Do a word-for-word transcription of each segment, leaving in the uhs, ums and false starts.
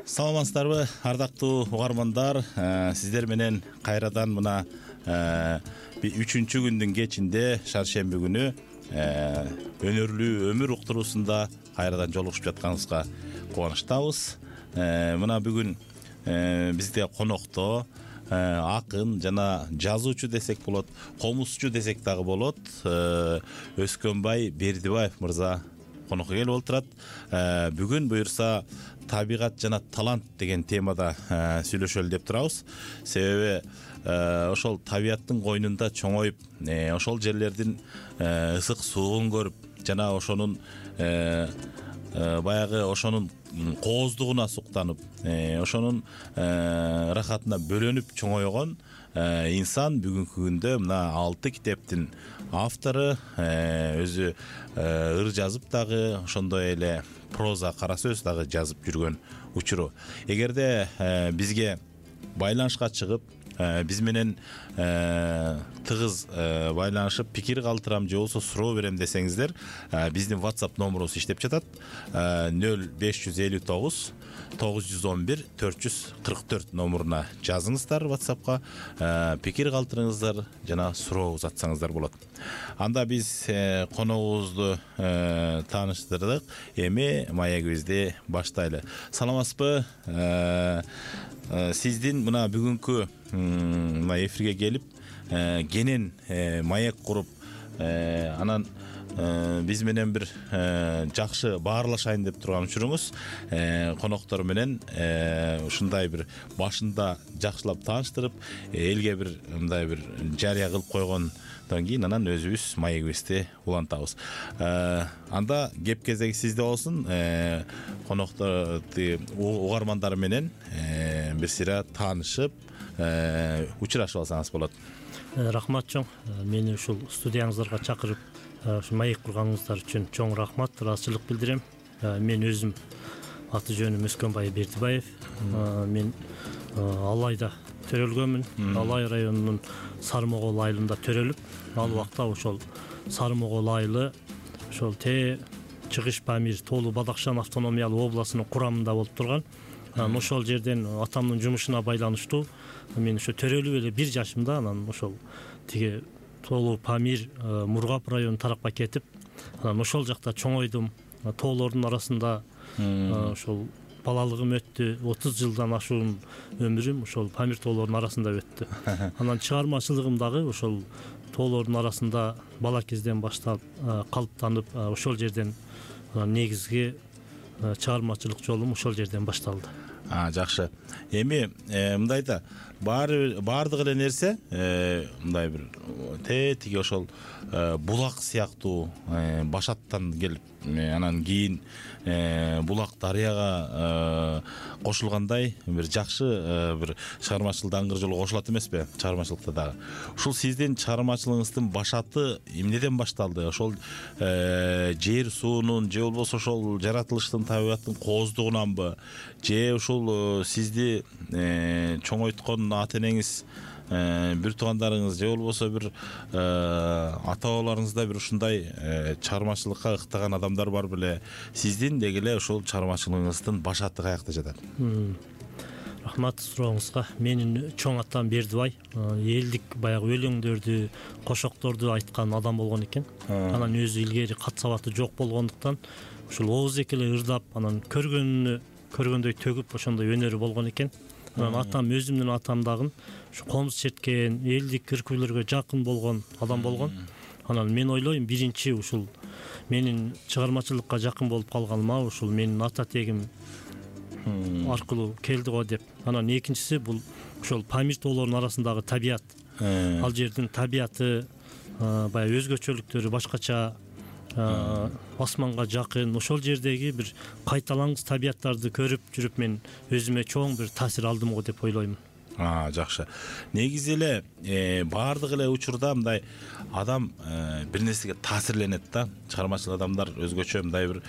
Саламатсыздарбы, ардактуу угармандар. Сиздер менен кайрадан мына үчүнчү күндүн кечинде шаршемби күнү өнөрлүү өмүр уктуруусунда кайрадан жолугушуп жатканыбызга кубанычтабыз. Мына бүгүн бизде конокто акын жана жазуучу десек болот, комузчу десек дагы болот, Өскөнбай Бердибаев мырза конокко келип отурат. Бүгүн буюрса табигат жана талант деген темада сүйлөшөлү деп турабыз. Себеби ошол табиаттын койнунда чоңоюп, ошол жерлердин ысык суугун көрүп, жана ошонун баягы ошонун кооздугуна суктанып, ошонун рахатына бөлөнүп чоңойгон инсан бүгүнкү күндө мына алты китептин автору, өзү ыр жазып дагы, ошондой эле проза, кара сөз дагы жазып жүргөн учуру. Эгерде бизге байланышка чыгып, биз менен тыгыз байланышып пикир калтырам же болбосо суроо берем десеңиздер, биздин WhatsApp номерубуз иштеп жатат. нөл беш жүз элүү тогуз тогуз жүз он бир төрт жүз кырк төрт номуруна жазыңыздар WhatsAppка, пикир калтырыңыздар жана суроо узатсаңыздар болот. Анда биз коногубузду тааныштырдык. Эми маегибизди баштайлы. Саламатсызбы? Сиздин мына бүгүнкү мына эфирге келип, кенен маек куруп, анан биз менен бир жакшы баарлашайын деп турган учуруңуз, коноктор менен ушундай бир башында жакшылап тааныштырып, элге бир мындай бир жарыя кылып койгондон кийин анан өзүбүз маегибизди улантабыз. Анда кеп кезеги сизде болсун. Коноктор угармандар менен бир сыйра таанышып, учурашып алсаңыз болот. Рахмат чоң. Мени ушул студияңыздарга чакырып, ушу маек курганыңыздар үчүн чоң рахмат, ыраазычылык билдирем. Мен өзүм аты жөнүм Өскөнбай Бердибаев. Мен Алайда төрөлгөнмүн. Алай районунун Сармогол айылында төрөлүп, ал убакта ошол Сармогол айылы ошол Те Чыгыш Памир Тоолу Бадакшан автономиялык областынын курамында болуп турган. Ошол жерден атамдын жумушуна байланыштуу мен ошо төрөлүп эле бир жашымда анан ошол тиги Тоолу Памир Мургап району тарапка кетип, анан ошол жакта чоңойдум. Тоолордун арасында ошол балалыгым өттү. отуз жылдан ашуун өмүрүм ошол Памир тоолордун арасында өттү. Анан чыгармачылыгым дагы ошол тоолордун арасында бала кезден баштап калыптанып, ошол жерден негизги чыгармачылык жолум ошол жерден башталды. А, жакшы. Эми мындай да баары баардык эле нерсе мындай бир те тиги ошол булак сыяктуу башаттан келип, анан кийин булак дарыяга кошулгандай бир жакшы бир чыгармачылык даңгыр жолго кошулат эмеспи? Чыгармачылыкта дагы. Ушул сиздин чыгармачылыгыңыздын башаты эмнеден башталды? Ошол жер суунун же болбосо ошол жаратылыштын, табигаттын кооздугунанбы, же ушул сизди чоңойткон ата энеңиз, бир туугандарыңыз же болбосо бир ата бабаларыңызда бир ушундай чыгармачылыкка ыктаган адамдар бар беле? Сиздин деги эле ушул чыгармачылыгыңыздын башаты каякта жатат? Рахмат сурооңузга. Менин чоң атам Бердибай элдик баягы өлөңдөрдү, кошокторду айткан адам болгон экен. Анан өзү илгери кат сабаты жок болгондуктан ушул ооздек эле ырдап, анан көргөнүнө көргөндөй төгүп ошондой өнөрү болгон экен. Анан атам, өзүмдүн атам дагы ушу комуз черткен, элдик ыркөөлөргө жакын болгон адам болгон. Анан мен ойлойм, биринчи ушул менин чыгармачылыкка жакын болуп калганыма ушул менин ата тегим аркылуу келди го деп. Анан экинчиси бул ошол Памир тоолорунун арасындагы табият. Ал жердин табияты, баягы өзгөчөлүктөрү башкача, асманга жакын, ошол жердеги бир кайталаңыз табияттарды көрүп жүрүп мен өзүмө чоң бир таасир алдым го деп ойлойм. А, жакшы. Негизи эле баардык эле учурда мындай адам бир нерсеге таасирленет да. Чыгармачыл адамдар өзгөчө мындай бир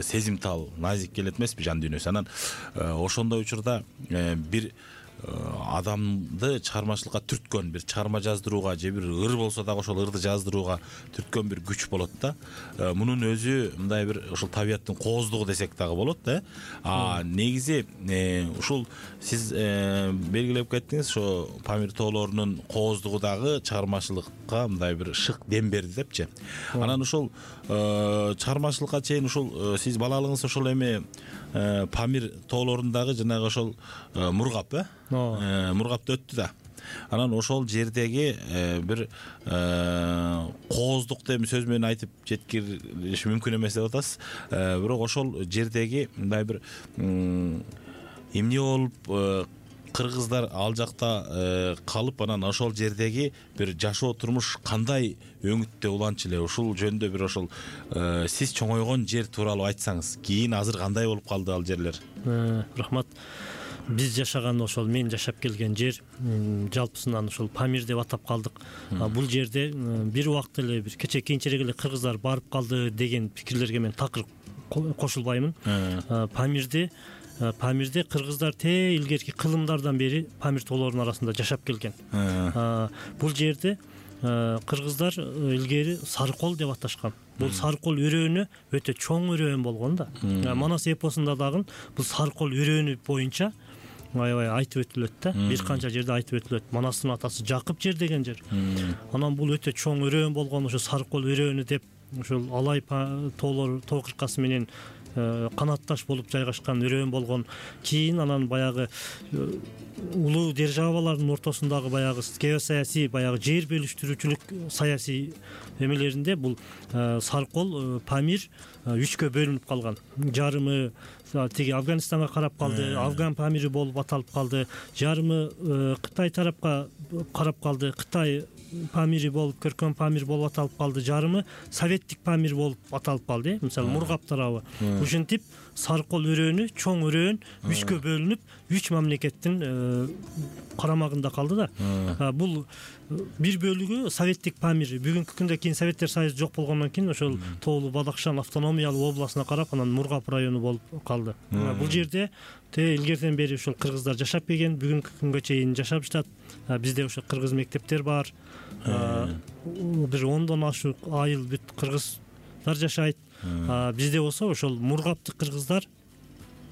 сезимтал, назик келет эмеспи жан дүйнөсү. Анан ошондой учурда бир адамды чыгармачылыкка түрткөн, бир чыгарма жаздырууга же бир ыр болсо дагы ошол ырды жаздырууга түрткөн бир күч болот да. Мунун өзү мындай бир ушул табияттын кооздугу десек дагы болот да. А негизи ушул сиз белгилеп кеттиңиз, ошо Памир тоолорунун кооздугу дагы чыгармачылыкка мындай бир шык дем берди депчи. Анан ушул чыгармачылыкка чейин ушул сиз балалыгыңыз ошол эми Памир тоолорундагы жанагы ошол Мургап, э? Мургапта өттү да. Анан ошол жердеги бир кооздукту эми сөз менен айтып жеткириш мүмкүн эмес деп атасыз. Бирок ошол жердеги мындай бир эмне болуп кыргыздар ал жакта калып, анан ошол жердеги бир жашоо турмуш кандай өңүттө уланчу эле, ушул жөнүндө бир ошол сиз чоңойгон жер тууралуу айтсаңыз, кийин азыр кандай болуп калды ал жерлер? Рахмат. Биз жашаган ошол мен жашап келген жер жалпысынан ошол Памир деп атап калдык. Бул жерде бир убакта эле бир кече кийинчерээк эле кыргыздар барып калды деген пикирлерге мен такыр кошулбаймын. Памирде Памирде кыргыздар те илгерки кылымдардан бери Памир тоолорунун арасында жашап келген. Бул жерде кыргыздар илгери Сарыкол деп аташкан. Бул Сарыкол өрөөнү өтө чоң өрөөн болгон да. Манас эпосунда дагы бул Сарыкол өрөөнү боюнча аябай айтып өтүлөт да. Бир канча жерде айтып өтүлөт. Манастын атасы Жакып жер деген жер. Анан бул өтө чоң өрөөн болгон ошо Сарыкол өрөөнү деп ошол Алай тоолор тоо кыркасы менен канатташ болуп жайгашкан өрөөн болгон. Кийин анан баягы улуу державалардын ортосундагы баягы геосаясий, баягы жер бөлүштүрүүчүлүк саясий эмелеринде бул Сарыкол, Памир үчкө бөлүнүп калган. Жарымы тиги Афганистанга карап калды, Афган Памири болуп аталып калды. Жарымы Кытай тарапка карап калды, Кытай Памири болуп, Көркөм Памир болуп аталып калды. Жарымы Советтик Памир болуп аталып калды. Мисалы Мургап тарабы. Ушинтип Сарыкол өрөөнү, чоң өрөөн үчкө бөлүнүп, үч мамлекеттин карамагында калды да. Бул бир бөлүгү Советтик Памир. Бүгүнкү күндө кийин Советтер Союзу жок болгондон кийин ошол Тоолу Бадакшан автономиялуу областына карап, анан Мургап району болуп калды. Бул жерде те илгертен бери ошол кыргыздар жашап келген, бүгүнкү күнгө чейин жашап жатат. Бизде ошо кыргыз мектептер бар. Бир ондон ашык айыл бүт кыргыздар жашайт. Бизде болсо ошол Мургаптык кыргыздар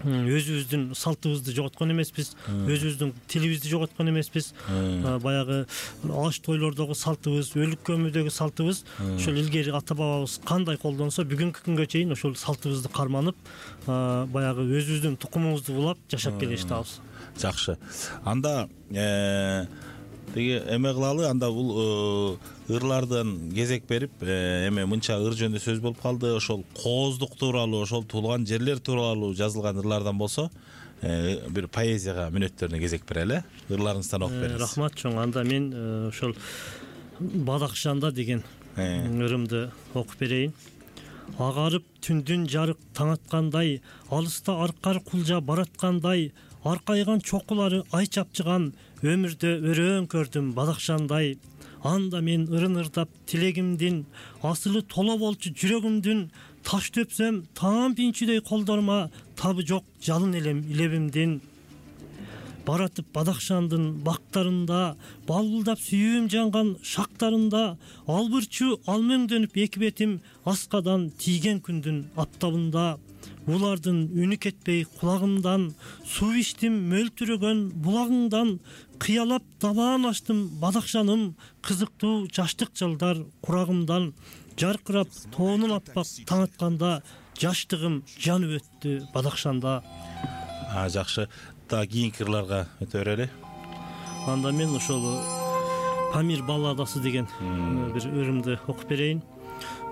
өзүбүздүн салтыбызды жоготкон эмеспиз, өзүбүздүн тилибизди жоготкон эмеспиз. Баягы аш тойлордогу салтыбыз, өлүк көмүүдөгү салтыбыз ошол илгери ата бабабыз кандай колдонсо, бүгүнкү күнгө чейин ошол салтыбызды карманып, баягы өзүбүздүн тукумубузду улап жашап келишибиз. Жакшы. Анда тиги эме кылалы, анда бул ырлардан кезек берип, эме мынча ыр жөнүндө сөз болуп калды. Ошол кооздук тууралуу, ошол туулган жерлер тууралуу жазылган ырлардан болсо, бир поэзияга мүнөттөрүнө кезек берели. Ырларыңыздан окуп бериңиз. Рахмат чоң. Анда мен ошол Бадакшанда деген ырымды окуп берейин. Агарып түндүн жарык таң аткандай, алыста аркар кулжа бараткандай, аркайган чокулары ай чапчыган, өмүрдө өрөөн көрдүм Бадакшандай. Анда мен ырын ырдап тилегимдин, асылы толо болчу жүрөгүмдүн, таш төпсөм таам пинчүдөй колдорума, табы жок жалын элем илебимдин. Баратып Бадакшандын бактарында, балбылдап сүйүүм жанган шактарында, албырчу алмөңдөнүп эки бетим, аскадан тийген күндүн аптабында. Булардын үнү кетпей кулагымдан, суу иштим мөлтүрөгөн булагыңдан, кыялап табаан аштым Бадакшаным, кызыктуу жаштык жылдар курагымдан. Жаркырап тоонун аппак таң атканда, жаштыгым жанып өттү Бадакшанда. Жакшы. Да кийинки ырларга өтө берели. Анда мен ошол Памир балладасы деген бир ырымды окуп берейин.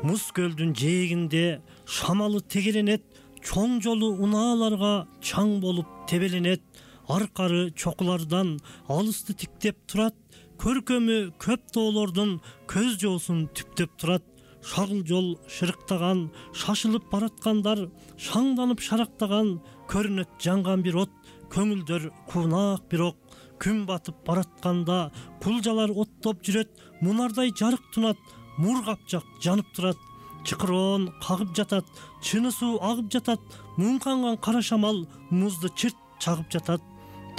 Муз көлдүн жээгинде шамалы тегеренет, чоң жолу унааларга чаң болуп тебеленет. Аркары чокулардан алысты тиктеп турат, көркөмү көп тоолордун көз жоосун түптөп турат. Шагыл жол шырыктаган, шашылып бараткандар, шаңданып шарактаган, көрүнөт жанган бир от, көңүлдөр куунак бирок. Күн батып баратканда, кулжалар оттоп жүрөт, мунардай жарык тунат, Мургап жак жанып турат. Чыкыроон кагып жатат, чыны суу агып жатат, муңканган кара шамал музду чырт чагып жатат.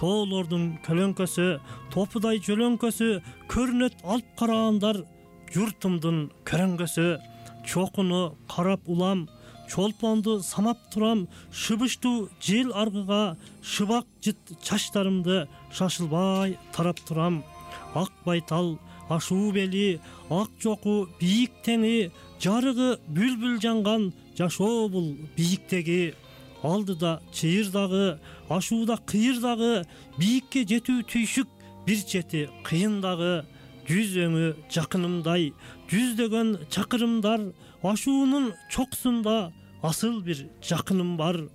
тоолордун көлөңкөсү, топудай жөлөңкөсү көрүнөт алып карагандар журтумдун көрөңгөсү. Чокуну карап улам, чолпонду самап турам, шыбыштуу жел аргыга шыбак жыт чачтарымды шашылбай тарап турам. Ак байтал, ашуу бели, ак жоку бийик теңи, жарыгы бүлбүл жанган жашоо бул бийиктеги. Алдыда чыйыр дагы, ашууда кыйыр дагы, бийикке жетүү түйшүк, бир чети кыйын дагы. Жүз өңү жакынымдай, жүздөгөн чакырымдар, ашуунун чокусунда асыл бир жакыным бар.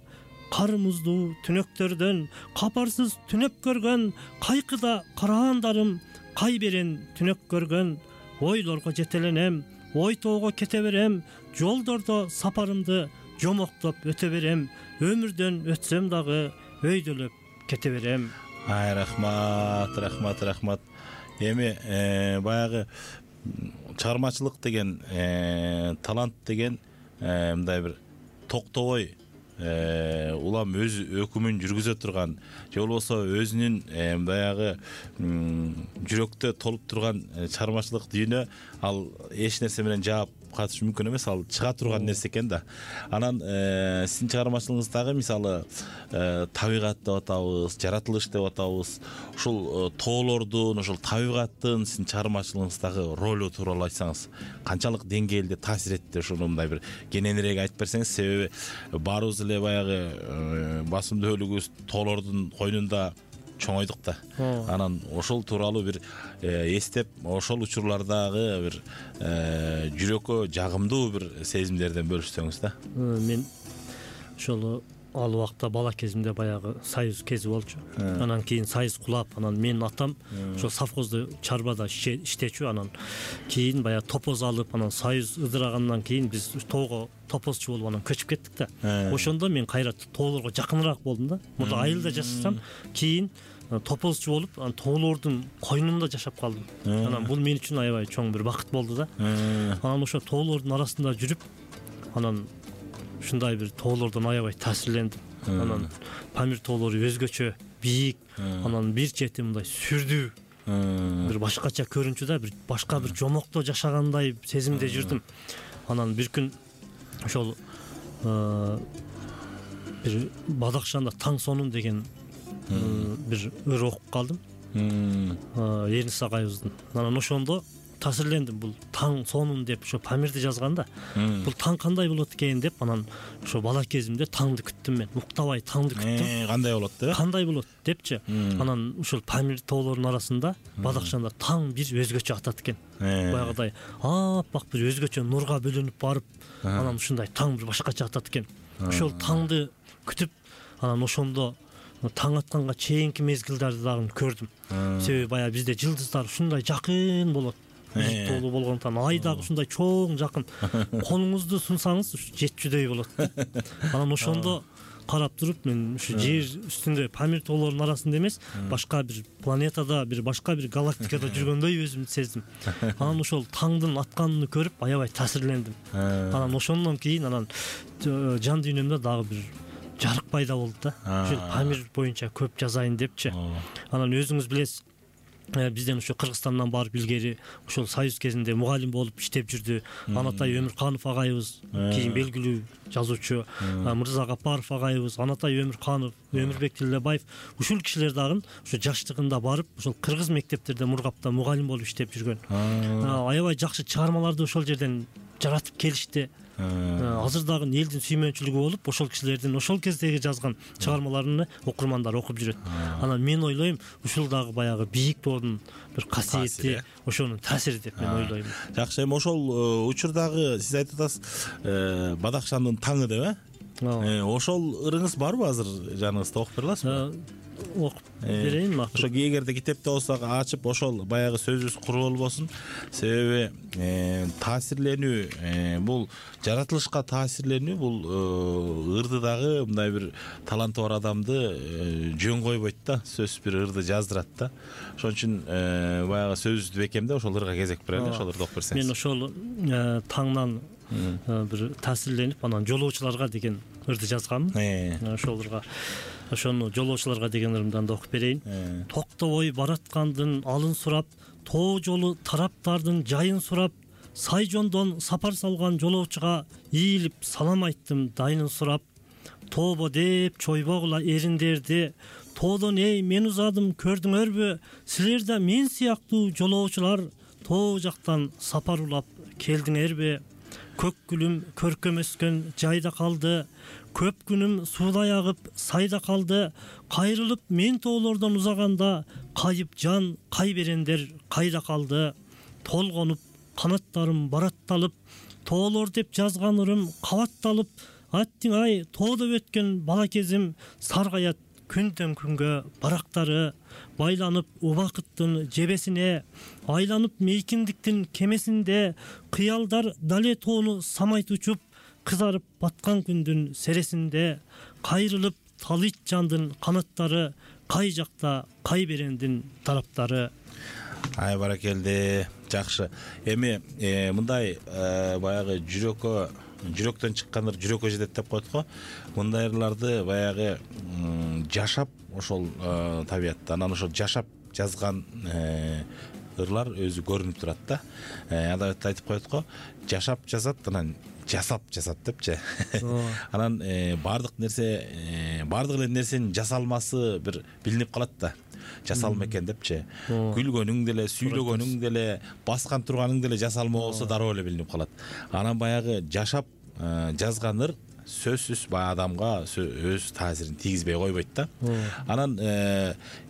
Кар муздуу түнөктөрдөн капарсыз түнөп көргөн, кайкыда карагандарым кай берен түнөк көргөн. Ойлорго жетеленем, ой тоого кете берем, жолдордо сапарымды жомоктоп өтө берем. Өмүрдөн өтсөм дагы өйдөлөп кете берем. Ай, рахмат, рахмат, рахмат. Эми баягы чыгармачылык деген, талант деген мындай бир токтобой улам өз өкүмүн жүргүзө турган, же болбосо өзүнүн баягы жүрөктө толуп турган чыгармачылык дүйнө, ал эч нерсе менен жаап катыш мүмкүн эмес, ал чыга турган нерсе экен да. Анан сиздин чыгармачылыгыңыздагы мисалы табигат деп атабыз, жаратылыш деп атабыз, ушул тоолордун, ушул табигаттын сиздин чыгармачылыгыңыздагы ролу тууралуу айтсаңыз, канчалык деңгээлде таасир этти, ушуну мындай бир кененирээк айтып берсеңиз. Себеби баарыбыз эле баягы басымдуулугубуз тоолордун койнунда чоңойдук да. Анан ошол тууралуу бир эстеп, ошол учурлардагы бир жүрөккө жагымдуу бир сезимдерден бөлүшсөңүз да. Мен ошол ал убакта бала кезимде баягы союз кези болчу. Анан кийин союз кулап, анан менин атам ошол совхозду чарбада иштечү. Анан кийин баягы топоз алып, анан союз ыдырагандан кийин биз тоого топозчу болуп анан көчүп кеттик да. Ошондо мен кайра тоолорго жакыныраак болдум да. Мурда айылда жашасам, кийин топозчу болуп, анан тоолордун койнунда жашап калдым. Анан бул мен үчүн аябай чоң бир бакыт болду да. Анан ошо тоолордун арасында жүрүп, анан ушундай бир тоолордон аябай таасирлендим. Анан Памир тоолору өзгөчө, бийик, анан бир чети мындай сүрдүү, бир башкача көрүнчү да, бир башка бир жомокто жашагандай сезимде жүрдүм. Анан бир күн ошол бир Бадакшанда Таң сонун деген бир ыр окуп калдым. Эрнис агайыбыздын. Анан ошондо таасирлендим. Бул таң сонун деп ошо Памирди жазганда, бул таң кандай болот экен деп, анан ошо бала кезимде таңды күттүм мен. Уктабай таңды күттүм. Кандай болот деп? Кандай болот депчи. Анан ушул Памир тоолорунун арасында Бадакшанда таң бир өзгөчө атат экен. Баягыдай аппак бир өзгөчө нурга бөлөнүп барып, анан ушундай таң бир башкача атат экен. Ошол таңды күтүп, анан ошондо таң атканга чейинки мезгилдерди дагы көрдүм. Себеби баягы бизде жылдыздар ушундай жакын болот. Биз тоолуу болгондуктан ай дагы ушундай чоң жакын. Колуңузду сунсаңыз жетчүдөй болот. Анан ошондо карап туруп, мен ушу жер үстүндө Памир тоолорунун арасында эмес, башка бир планетада, бир башка бир галактикада жүргөндөй өзүмдү сездим. Анан ошол таңдын атканын көрүп аябай таасирлендим. Анан ошондон кийин анан жан дүйнөмдө дагы бир жарык пайда болду да. Ушул Памир боюнча көп жазайын депчи. Анан өзүңүз билесиз, бизден ушу Кыргызстандан барып илгери ошол союз кезинде мугалим болуп иштеп жүрдү. Анатай Өмүрканов агайыбыз, кийин белгилүү жазуучу, Мырза Гапаров агайыбыз, Анатай Өмүрканов, Өмүрбек Тилдебаев, ушул кишилер дагы ушу жаштыгында барып ошол кыргыз мектептерде Мургапта мугалим болуп иштеп жүргөн. Аябай жакшы чыгармаларды ошол жерден жаратып келишти. Азыр дагы элдин сүймөнчүлүгү болуп, ошол кишилердин ошол кездеги жазган чыгармаларын окурмандар окуп жүрөт. Анан мен ойлойм, ушул дагы баягы бийик тоонун бир касиети, ошонун таасири деп мен ойлойм. Жакшы, эми ошол учурдагы сиз айтып атасыз, Бадакшандын таңы деп, э? Ошол ырыңыз барбы азыр жаныңызда, окуп бере аласызбы? Окуп берейин. Ошо эгерде китепте болсо ачып, ошол баягы сөзүбүз куру болбосун. Себеби таасирленүү, бул жаратылышка таасирленүү, бул ырды дагы мындай бир таланты бар адамды жөн койбойт да, сөзсүз бир ырды жаздырат да. Ошон үчүн баягы сөзүбүздү бекемдеп ошол ырга кезек берели, ошол ырды окуп берсеңиз. Мен ошол таңнан бир таасирленип, анан жолоочуларга деген ырды жазганмын. Ошол ырга, ошону жолоочуларга деген ырымдан да окуп берейин. Токтобой бараткандын алын сурап, тоо жолу тараптардын жайын сурап, сай жондон сапар салган жолоочуга ийилип салам айттым дайынын сурап, тообо деп чойбогула эриндерди, тоодон эй мен узадым көрдүңөрбү, силер да мен сыяктуу жолоочулар тоо жактан сапар улап келдиңерби? Көк гүлүм көркөм өскөн жайда калды, көп күнүм суудай агып сайда калды, кайрылып мен тоолордон узаганда, кайып жан кай берендер кайда калды? Толгонуп канаттарым баратталып, тоолор деп жазган ырым кабатталып, аттиң ай тоодо өткөн бала кезим, саргаят күндөн күнгө барактары, байланып убакыттын жебесине, айланып мейкиндиктин кемесинде, кыялдар дале тоону самайт учуп, кызарып баткан күндүн сересинде, кайрылып талыйт жандын канаттары, кай жакта кай берендин тараптары. Ай баракелде, жакшы. Эми мындай баягы жүрөккө жүрөктөн чыккандар жүрөккө жетет деп коет го. Мындай ырларды баягы жашап ошол табиятта, анан ошол жашап жазган ырлар өзү көрүнүп турат да. Адабатта айтып коет го, жашап жазат, анан жасап жазат депчи. Анан баардык нерсе, баардык эле нерсенин жасалмасы бир билинип калат да. Жасалма экен депчи. Күлгөнүң деле, сүйлөгөнүң деле, баскан турганың деле жасалма болсо дароо эле билинип калат. Анан баягы жашап жазган ыр сөзсүз баягы адамга өз таасирин тийгизбей койбойт да. Анан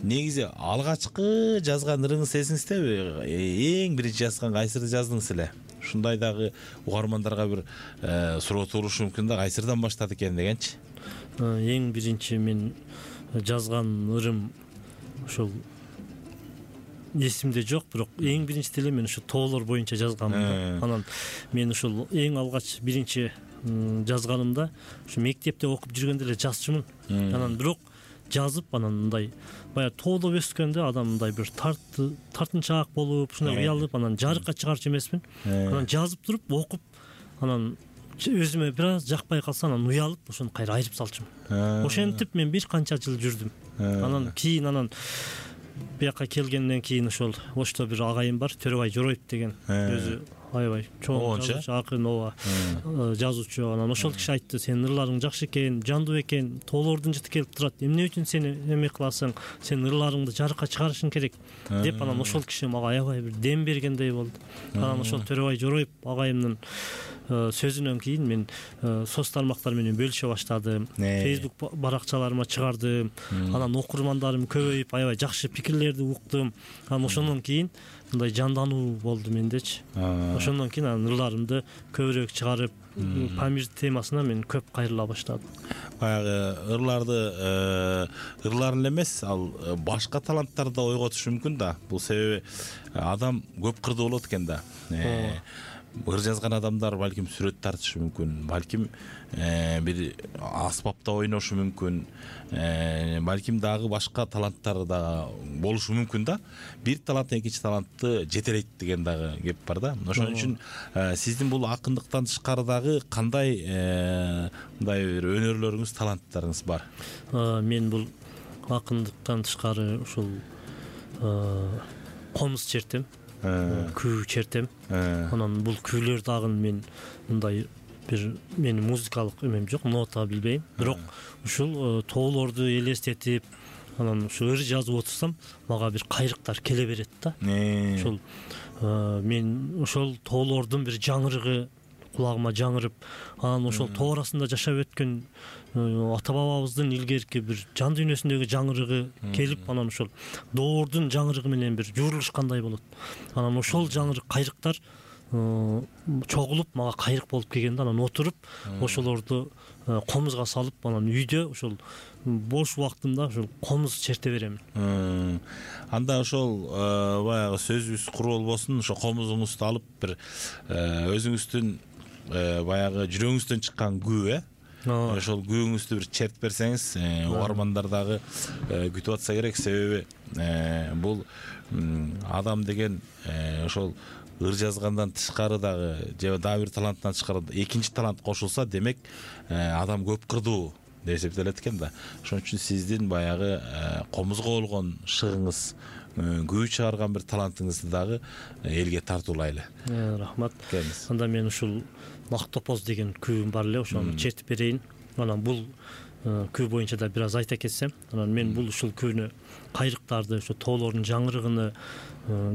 негизи алгачкы жазган ырыңыз эсиңиздеби? Эң биринчи жазган кайсырды жаздыңыз эле? Ушундай дагы угармандарга бир суроо туулушу мүмкүн да, кайсырдан баштады экен дегенчи. Эң биринчи мен жазган ырым ошол эсимде жок, бирок эң биринчи деле мен ушу тоолор боюнча жазганмын. Анан мен ушул эң алгач биринчи жазганымда ушу мектепте окуп жүргөндө эле жазчумун. Анан бирок жазып анан мындай баягы тоодо өскөндө адам мындай бир тартынчаак болуп, ушундай уялып, анан жарыкка чыгарчу эмесмин. Анан жазып туруп окуп, анан өзүмө бир аз жакпай калса, анан уялып ошону кайра айырып салчумун. Ошентип мен бир канча жыл жүрдүм. Анан кийин анан бияка келгенден кийин ошол Ошто бир агайым бар, Төрөбай Жороев деген, өзү аябай чоң жазуучу, акын, ооба жазуучу. Анан ошол киши айтты, сенин ырларың жакшы экен, жандуу эмне тоолордун жыты келип турат, эмне үчүн сени эме кыласың, сен ырларыңды жарыкка чыгарышың керек деп. Анан ошол киши мага аябай бир дем бергендей болду. Анан ошол Төрөбай Жороев агайымдын сөзүнөн кийин мен соц тармактар менен бөлүшө баштадым. Facebook баракчаларыма чыгардым. Анан окурмандарым көбөйүп, аябай жакшы пикирлерди уктум. Анан ошондон кийин мындай жандануу болду мендечи. Ошондон кийин анан ырларымды көбүрөөк чыгарып, Памир темасына мен көп кайрыла баштадым. Баягы ырларды ырлар эле эмес, ал башка таланттарды да ойготушу мүмкүн да. Бул себеби адам көп кырдуу болот экен да. Ыр жазган адамдар балким сүрөт тартышы мүмкүн, балким бир аспапта ойношу мүмкүн, балким дагы башка таланттары да болушу мүмкүн да. Бир талант экинчи талантты жетелейт деген дагы кеп бар да. Ошон үчүн сиздин бул акындыктан тышкары дагы кандай мындай бир өнөрлөрүңүз, таланттарыңыз бар? Мен бул акындыктан тышкары ушул комуз чертем, күү чертем. Анан бул күүлөр дагы мен мындай бир менин музыкалык эмем жок, нота билбейм. Бирок ушул тоолорду элестетип, анан ушу ыр жазып отурсам, мага бир кайрыктар келе берет да. Ушул мен ошол тоолордун бир жаңырыгы кулагыма жаңырып, анан ошол тоо арасында жашап өткөн ата бабабыздын илгерки бир жан дүйнөсүндөгү жаңырыгы келип, анан ошол доордун жаңырыгы менен бир жуурулушкандай болот. Анан ошол жаңырык кайрыктар чогулуп мага кайрык болуп келгенде, анан отуруп ошолорду комузга салып, анан үйдө ошол бош убактымда ошол комуз черте беремин. Анда ошол баягы сөзүбүз куру болбосун, ошо комузуңузду алып бир өзүңүздүн баягы жүрөгүңүздөн чыккан күү, ошол күүңүздү бир чертип берсеңиз, угармандар дагы күтүп атса керек. Себеби бул адам деген ошол ыр жазгандан тышкары дагы, же дагы бир таланттан тышкары экинчи талант кошулса, демек адам көп кырдуу деп эсептелет экен да. Ошон үчүн сиздин баягы комузго болгон шыгыңыз, күү чыгарган бир талантыңызды дагы элге тартуулайлы. Рахмат. Анда мен ушул Ак топоз деген күүм бар эле, ошону чертип берейин. Анан бул күү боюнча да бир аз айта кетсем, анан мен бул ушул күүнү кайрыктарды, ошо тоолордун жаңырыгыны,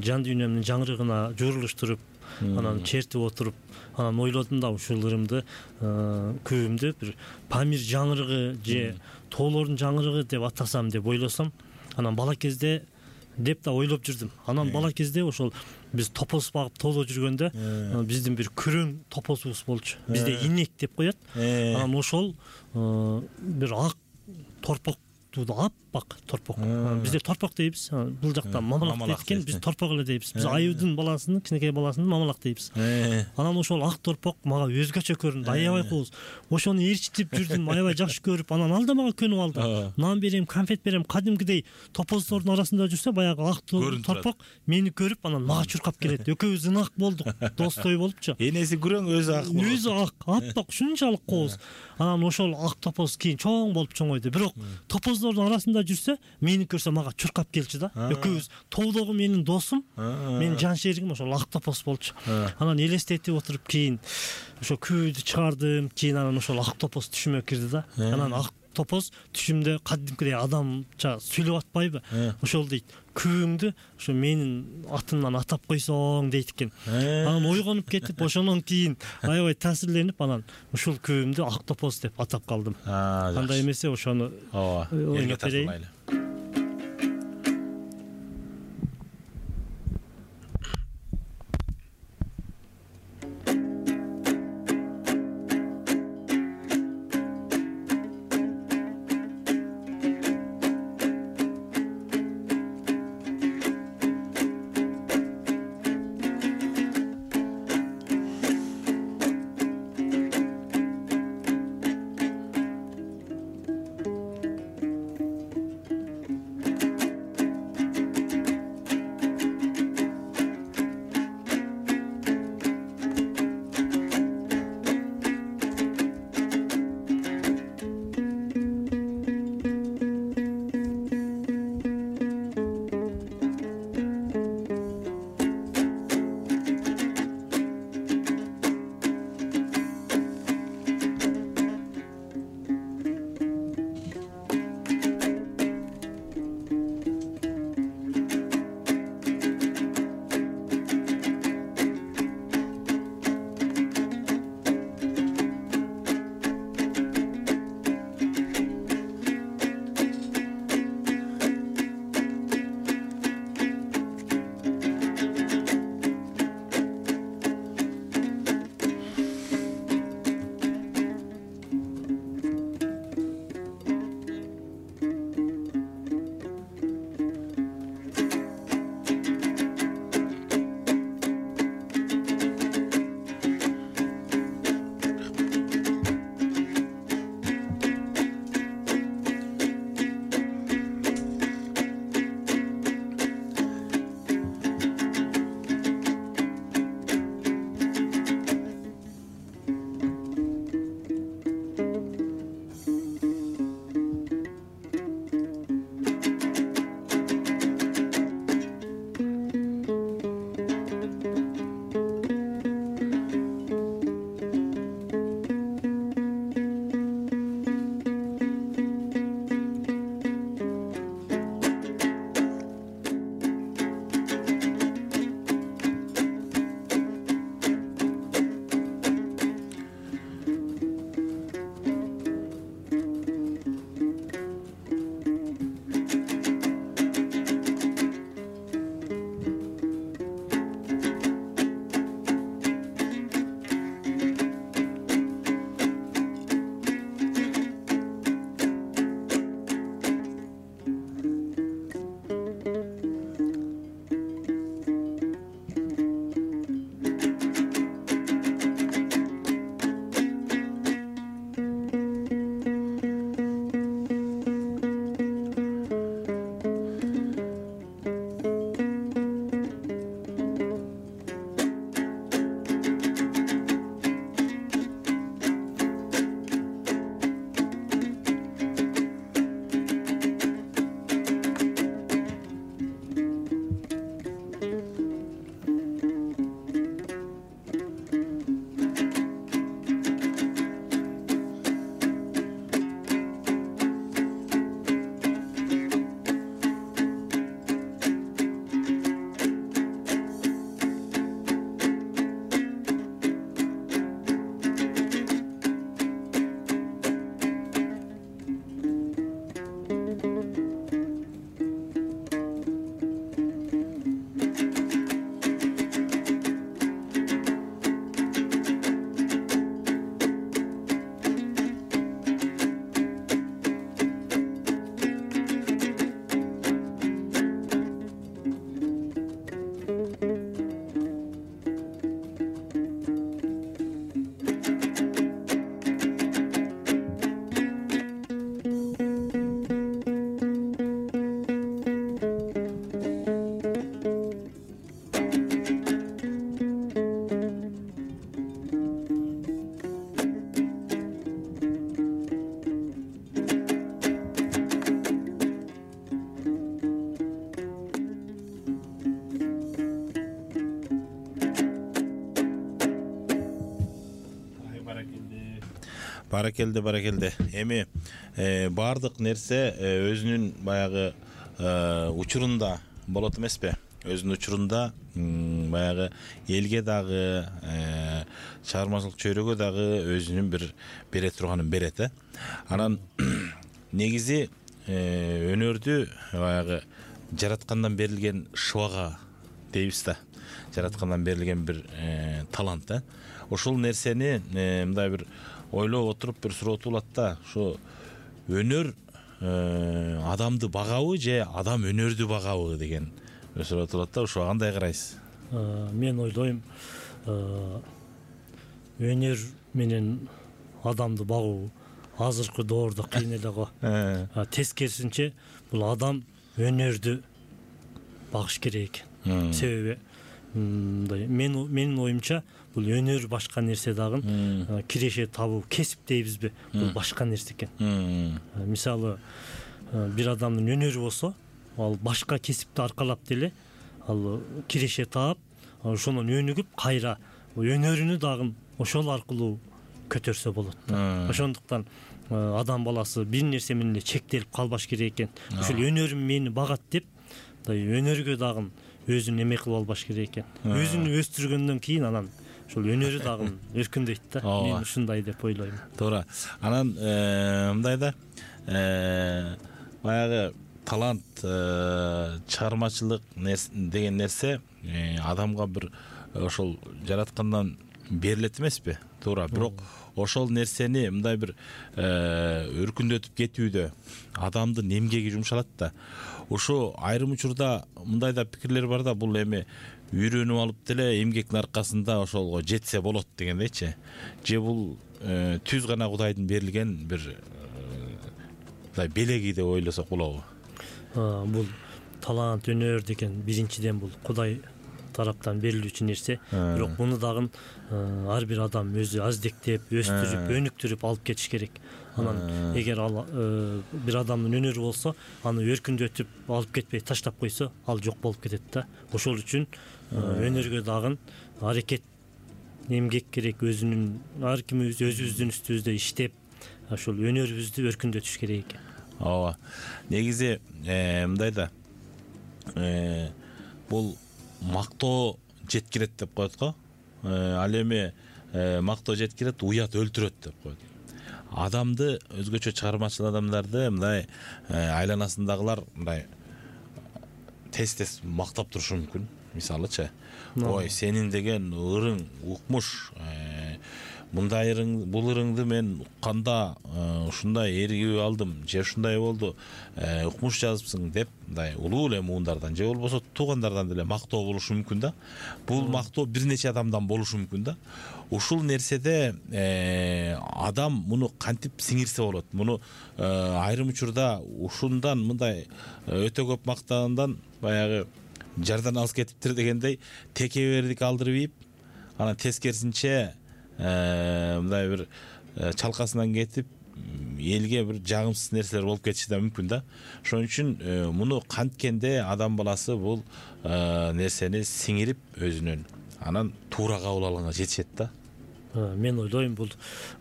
жан дүйнөмдүн жаңырыгына журулуштуруп, анан чертип отуруп, анан ойлодум да ушул ырымды, күүмдү бир Памир жаңырыгы же тоолордун жаңырыгы деп атасам деп ойлосом, анан бала кезде деп да ойлоп жүрдүм. Анан бала кезде ошол биз топоз багып тоодо жүргөндө биздин бир күрөң топозубуз болчу. Бизде инек деп коет. Анан ошол бир ак торпок аппак торпок. Бизде торпок дейбиз. Бул жакта мамалак дейт экен, биз торпок эле дейбиз. Биз аюудун баласынын, кичинекей баласынын мамалак дейбиз. Анан ошол ак торпок мага өзгөчө көрүндү, аябай кооз. Ошону ээрчитип жүрдүм, аябай жакшы көрүп, анан ал да мага көнүп алды. Нан берем, конфет берем, кадимкидей топоздордун арасында жүрсө, баягы ак торпок мени көрүп, анан мага чуркап келет. Экөөбүз ынак болдук, достой болупчу. Энеси күрөң, өзү ак болот. Өзү ак, аппак, ушунчалык кооз. Анан ошол ак топоз кийин чоң болуп чоңойду. Бирок топоздордун арасында жүрсө, мени көрсө мага чуркап келчү да. Экөөбүз тоодогу менин досум, менин жан шеригим ошол ак топоз болчу. Анан элестетип отуруп кийин ошо күүдү чыгардым, кийин анан ошол ак топоз түшүмө кирди да. Анан ак топоз түшүмдө кадимкидей адамча сүйлөп атпайбы? Ошол дейт, күүңдү ошо менин атымдан атап койсоң дейт экен. Анан ойгонуп кетип, ошондон кийин аябай таасирленип, анан ушул күүмдү ак топоз деп атап калдым. Андай эмесе ошону элге тартуулайлы. Баракелде, баракелде. Эми баардык нерсе өзүнүн баягы учурунда болот эмеспи? Өзүнүн учурунда баягы элге дагы, чыгармачылык чөйрөгө дагы өзүнүн бир бере турганын берет, э. Анан негизи өнөрдү баягы жараткандан берилген шыбага дейбиз да. Жараткандан берилген бир талант, э. Ошол нерсени мындай бир ойлоп отуруп бир суроо туулат да. Ушу өнөр адамды багабы же адам өнөрдү багабы деген суроо туулат да. Ошого кандай карайсыз? Мен ойлойм, өнөр менен адамды багуу азыркы доордо кыйын эле го. Тескерисинче бул адам өнөрдү багыш керек экен. Себеби мындай менин оюмча бул өнөр башка нерсе дагы, киреше табуу, кесип дейбизби, бул башка нерсе экен. Мисалы, бир адамдын өнөрү болсо, ал башка кесипти аркалап деле ал киреше таап, ошонун өнүгүп кайра өнөрүнү дагы ошол аркылуу көтөрсө болот. Ошондуктан адам баласы бир нерсе менен эле чектелип калбаш керек экен. Ушул өнөрүм мени багат деп, өнөргө дагы өзүн эме кылып албаш керек экен. Өзүн өстүргөндөн кийин анан ошол өнөрү дагы өркүндөйт да. Мен ушундай деп ойлойм. Туура. Анан мындай да, баягы талант, чыгармачылык деген нерсе адамга бир ошол жараткандан берилет эмеспи? Туура. Бирок ошол нерсени мындай бир өркүндөтүп кетүүдө адамдын эмгеги жумшалат да. Ошо айрым учурда мындай да пикирлер бар да, бул эми үйрөнүп алып деле эмгектин аркасында ошолго жетсе болот дегендейчи. Же бул түз гана Кудайдын берилген бир мындай белеги деп ойлосок болобу? Бул талант, өнөр деген биринчиден бул Кудай тараптан берилүүчү нерсе. Бирок муну дагы ар бир адам өзү аздектеп, өстүрүп, өнүктүрүп алып кетиш керек. Анан эгер ал бир адамдын өнөрү болсо, аны өркүндөтүп алып кетпей таштап койсо, ал жок болуп кетет да. Ошол үчүн өнөргө дагы аракет, эмгек керек. Өзүнүн ар ким өзүбүздүн үстүбүздө иштеп, ошол өнөрүбүздү өркүндөтүш керек экен. Ооба. Негизи мындай да, бул мактоо жеткирет деп коет го. Ал эми мактоо жеткирет, уят өлтүрөт деп коет. Адамды, өзгөчө чыгармачыл адамдарды мындай айланасындагылар мындай тез-тез мактап турушу мүмкүн. Мисалычы, ой, сенин деген ырың укмуш, мындай ырың, бул ырыңды мен укканда ушундай эргип алдым, же ушундай болду, укмуш жазыпсың деп, мындай улуу эле муундардан же болбосо туугандардан деле мактоо болушу мүмкүн да. Бул мактоо бир нече адамдан болушу мүмкүн да. Ушул нерседе адам муну кантип сиңирсе болот? Муну айрым учурда ушундан мындай өтө көп мактагандан баягы жардан алыс кетиптир дегендей текебердик алдырып ийип, анан тескерисинче мындай бир чалкасынан кетип, элге бир жагымсыз нерселер болуп кетиши да мүмкүн да. Ошон үчүн муну канткенде адам баласы бул нерсени сиңирип өзүнөн, анан туура кабыл алганга жетишет да. Мен ойлойм, бул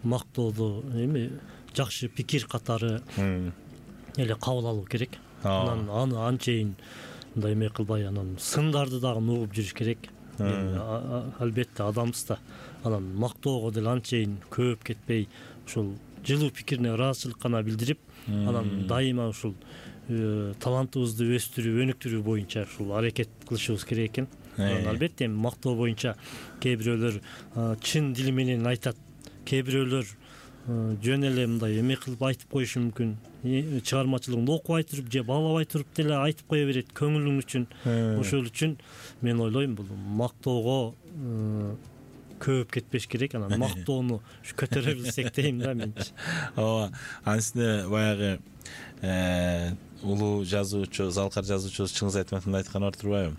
мактоодо эми жакшы пикир катары эле кабыл алуу керек. Анан аны анчейин мындай эме кылбай, анан сындарды дагы угуп жүрүш керек. Албетте адамбыз да. Анан мактоого деле анчейин көп кетпей, ушул жылуу пикирине ыраазычылык гана билдирип, анан дайыма ушул талантыбызды өстүрүү, өнүктүрүү боюнча ушул аракет кылышыбыз керек экен. Албетте мактоо боюнча кээ бирөөлөр чын дили менен айтат, кээ бирөөлөр жөн эле мындай эме кылып айтып коюшу мүмкүн. Чыгармачылыгын окубай туруп же баалабай туруп деле айтып кое берет көңүлүң үчүн. Ошол үчүн мен ойлойм, бул мактоого көп кетпеш керек. Анан мактоону көтөрө билсек дейм да менчи. Ооба. Анысында баягы улуу жазуучу, залкар жазуучубуз Чыңгыз Айтматовдун айтканы бар турбайбы?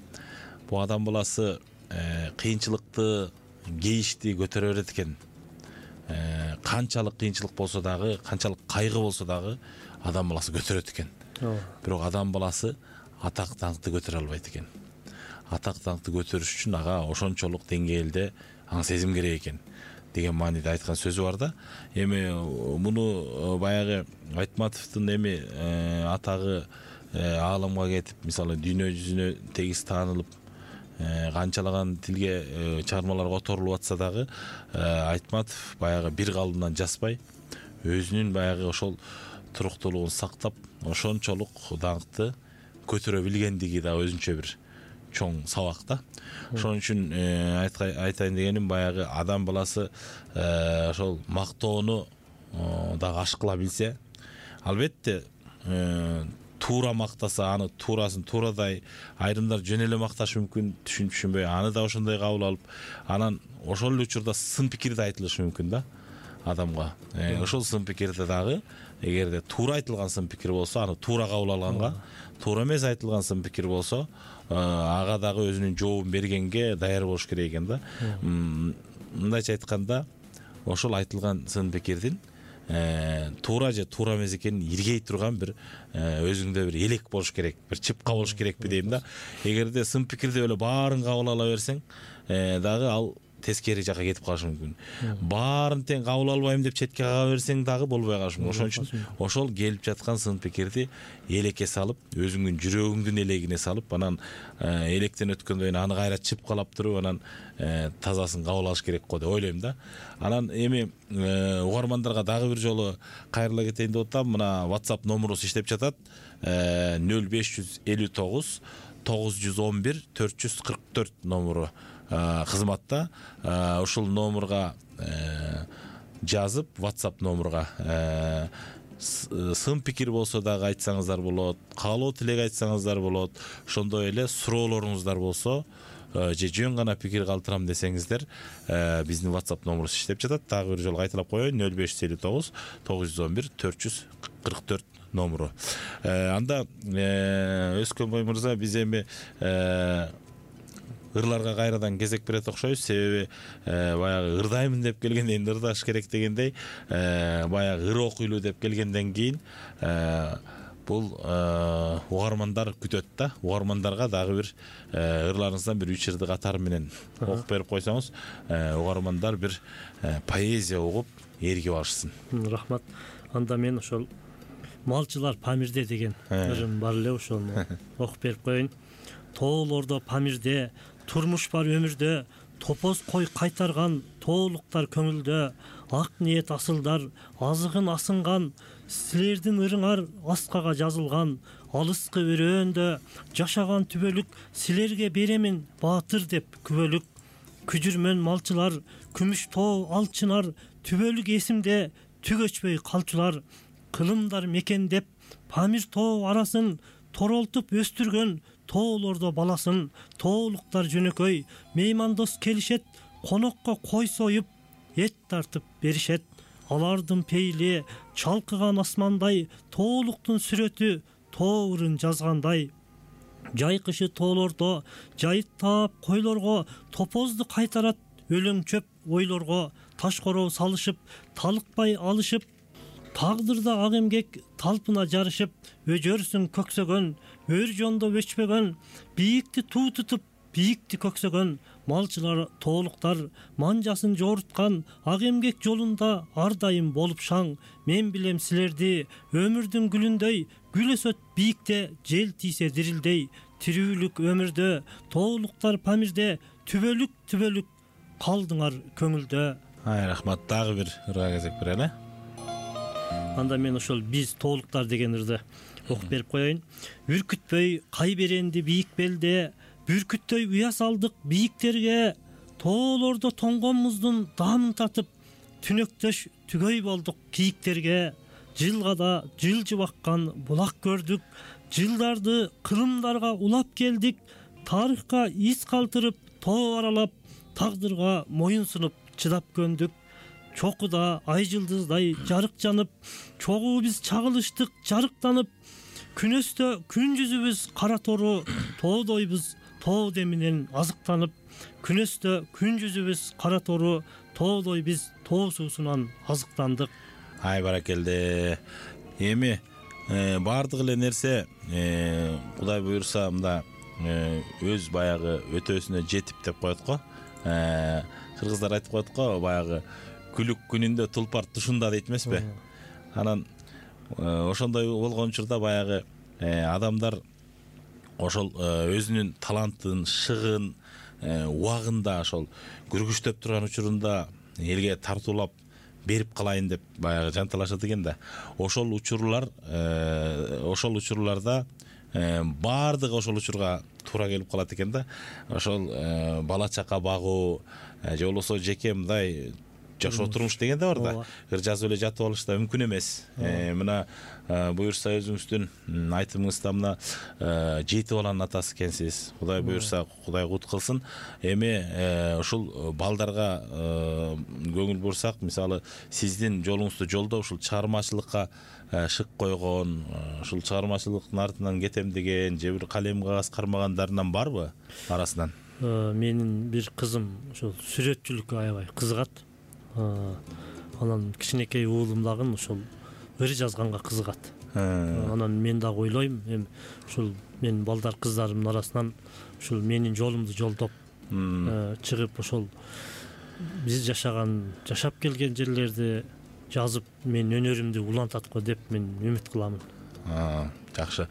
Бул адам баласы кыйынчылыкты, кейишти көтөрө берет экен. Канчалык кыйынчылык болсо дагы, канчалык кайгы болсо дагы адам баласы көтөрөт экен. Бирок адам баласы атак даңкты көтөрө албайт экен. Атак даңкты көтөрүш үчүн ага ошончолук деңгээлде аң сезим керек экен. деген мааниде айткан сөзү бар да. Эми муну баягы Айтматовдун эми атагы ааламга кетип, мисалы дүйнө жүзүнө тегиз таанылып, канчалаган тилге чыгармалар которулуп атса дагы Айтматов баягы бир калымдан жазбай, өзүнүн баягы ошол туруктуулугун сактап, ошончолук даңкты көтөрө билгендиги да өзүнчө бир чоң сабак да. Ошон үчүн айтайын дегеним, баягы адам баласы ошол мактоону дагы ашкыла билсе, албетте туура мактаса, аны туурасын туурадай, айрымдар жөн эле макташы мүмкүн, түшүнүп түшүнбөй, аны да ошондой кабыл алып, анан ошол эле учурда сын пикир да айтылышы мүмкүн да адамга. Ошол сын пикирде дагы эгерде туура айтылган сын пикир болсо, аны туура кабыл алганга, туура эмес айтылган сын пикир болсо, ага дагы өзүнүн жообун бергенге даяр болуш керек экен да. Мындайча айтканда, ошол айтылган сын пикирдин туура же туура эмес экенин иргей турган бир өзүңдө бир элек болуш керек, бир чыпка болуш керекпи дейм да. Эгерде сын пикирди эле баарын кабыл ала берсең, дагы ал тескери жака кетип калышы мүмкүн. Баарын тең кабыл албайм деп четке кага берсең дагы болбой калышы мүмкүн. Ошон үчүн ошол келип жаткан сын пикирди элекке салып, өзүңдүн жүрөгүңдүн элегине салып, анан электен өткөндөн кийин аны кайра чыпкалап туруп, анан тазасын кабыл алыш керек го деп ойлойм да. Анан эми угармандарга дагы бир жолу кайрыла кетейин деп атам. Мына WhatsApp номурубуз иштеп жатат. нөл беш жүз элүү тогуз тогуз жүз он бир төрт жүз кырк төрт номуру кызматта. Ушул номурга жазып, WhatsApp номурга сын пикир болсо дагы айтсаңыздар болот, каалоо тилек айтсаңыздар болот, ошондой эле суроолоруңуздар болсо же жөн гана пикир калтырам десеңиздер, биздин WhatsApp номурубуз иштеп жатат. Дагы бир жолу кайталап коеюн: нөл беш жүз элүү тогуз тогуз жүз он бир төрт жүз кырк төрт номуру. Анда Өскөнбай мырза, биз эми ырларга кайрадан кезек берет окшойбуз. Себеби баягы ырдаймын деп келгенден кийин ырдаш керек дегендей, баягы ыр окуйлуу деп келгенден кийин бул угармандар күтөт да. Угармандарга дагы бир ырларыңыздан бир үч ырды катары менен окуп берип койсоңуз, угармандар бир поэзия угуп ээргип алышсын. Рахмат. Анда мен ошол Малчылар Памирде деген ырым бар эле, ошону окуп берип коеюн. Тоолордо Памирде турмуш бар өмүрдө, топоз кой кайтарган тоолуктар көңүлдө, ак ниет асылдар азыгын асынган, силердин ырыңар аскага жазылган, алыскы өрөөндө жашаган түбөлүк, силерге беремин баатыр деп күбөлүк. Күжүрмөн малчылар, күмүш тоо алчынар, түбөлүк эсимде түк өчпөй калчулар, кылымдар мекендеп Памир тоо арасын, торолтуп өстүргөн тоолордо баласын. Тоолуктар жөнөкөй меймандос келишет, конокко кой союп эт тартып беришет. Алардын пейли чалкыган асмандай, тоолуктун сүрөтү тоо ырын жазгандай. Жайкышы тоолордо жайыт таап койлорго, топозду кайтарат өлөң чөп ойлорго. Таш короо салышып, талыкпай алышып, тагдырда ак эмгек талпына жарышып, өжөрсүң көксөгөн, өр жондо өчпөгөн, бийикти туу тутуп, бийикти көксөгөн. Малчылар тоолуктар манжасын жоруткан, ак эмгек жолунда ар дайым болуп шаң. Мен билем силерди өмүрдүн гүлүндөй, гүл өсөт бийикте жел тийсе дирилдей. Тирүүлүк өмүрдө тоолуктар Памирде, түбөлүк түбөлүк калдыңар көңүлдө. Ай, рахмат. Дагы бир ырга кезек берели. Анда мен ошол биз тоолуктар деген ырды окуп берип коеюн. Үркүтпөй кай беренди бийик белде, бүркүттөй уя салдык бийиктерге. Тоолордо тоңгон муздун даамын татып, түнөктөш түгөй болдук кийиктерге. Жылгада жылжып аккан булак көрдүк, жылдарды кылымдарга улап келдик. Тарыхка из калтырып тоо аралап, тагдырга моюн сунуп чыдап көндүк. Чокуда ай жылдыздай жарык жанып, чогуу биз чагылыштык жарыктанып. Күнөстө күн жүзүбүз кара тору, тоодойбуз тоо деминен азыктанып. Күнөстө күн жүзүбүз кара тору, тоодой биз тоо суусунан азыктандык. Ай, баракелде. Эми баардык эле нерсе Кудай буюрса мында өз баягы өтөөсүнө жетип деп коет го. кыргыздар айтып коет го, баягы күлүк күнүндө тулпар тушунда дейт эмеспи. Анан ошондой болгон учурда баягы адамдар ошол өзүнүн талантын, шыгын, убагында ошол күргүчтөп турган учурунда элге тартуулап берип калайын деп баягы жанталашат экен да. Ошол учурлар, ошол учурларда баардыгы ошол учурга туура келип калат экен да. Ошол бала чака багуу же болбосо жеке мындай жашоо турмуш деген да бар да. Ыр жазып эле жатып алыш да мүмкүн эмес. Мына буюрса өзүңүздүн айтымыңызда мына жети баланын атасы экенсиз. Кудай буюрса, Кудай кут кылсын. Эми ушул балдарга көңүл бурсак, мисалы сиздин жолуңузду жолдоп ушул чыгармачылыкка шык койгон, ушул чыгармачылыктын артынан кетем деген же бир калем кагаз кармагандарынан барбы арасынан? Менин бир кызым ошол сүрөтчүлүккө аябай кызыгат. Анан кичинекей уулум дагы ошол ыр жазганга кызыгат. Анан мен дагы ойлойм, эми ушул мен балдар кыздарымдын арасынан ушул менин жолумду жолдоп чыгып ошол биз жашаган, жашап келген жерлерди жазып мен өнөрүмдү улантат го деп мен үмүт кыламын. Жакшы.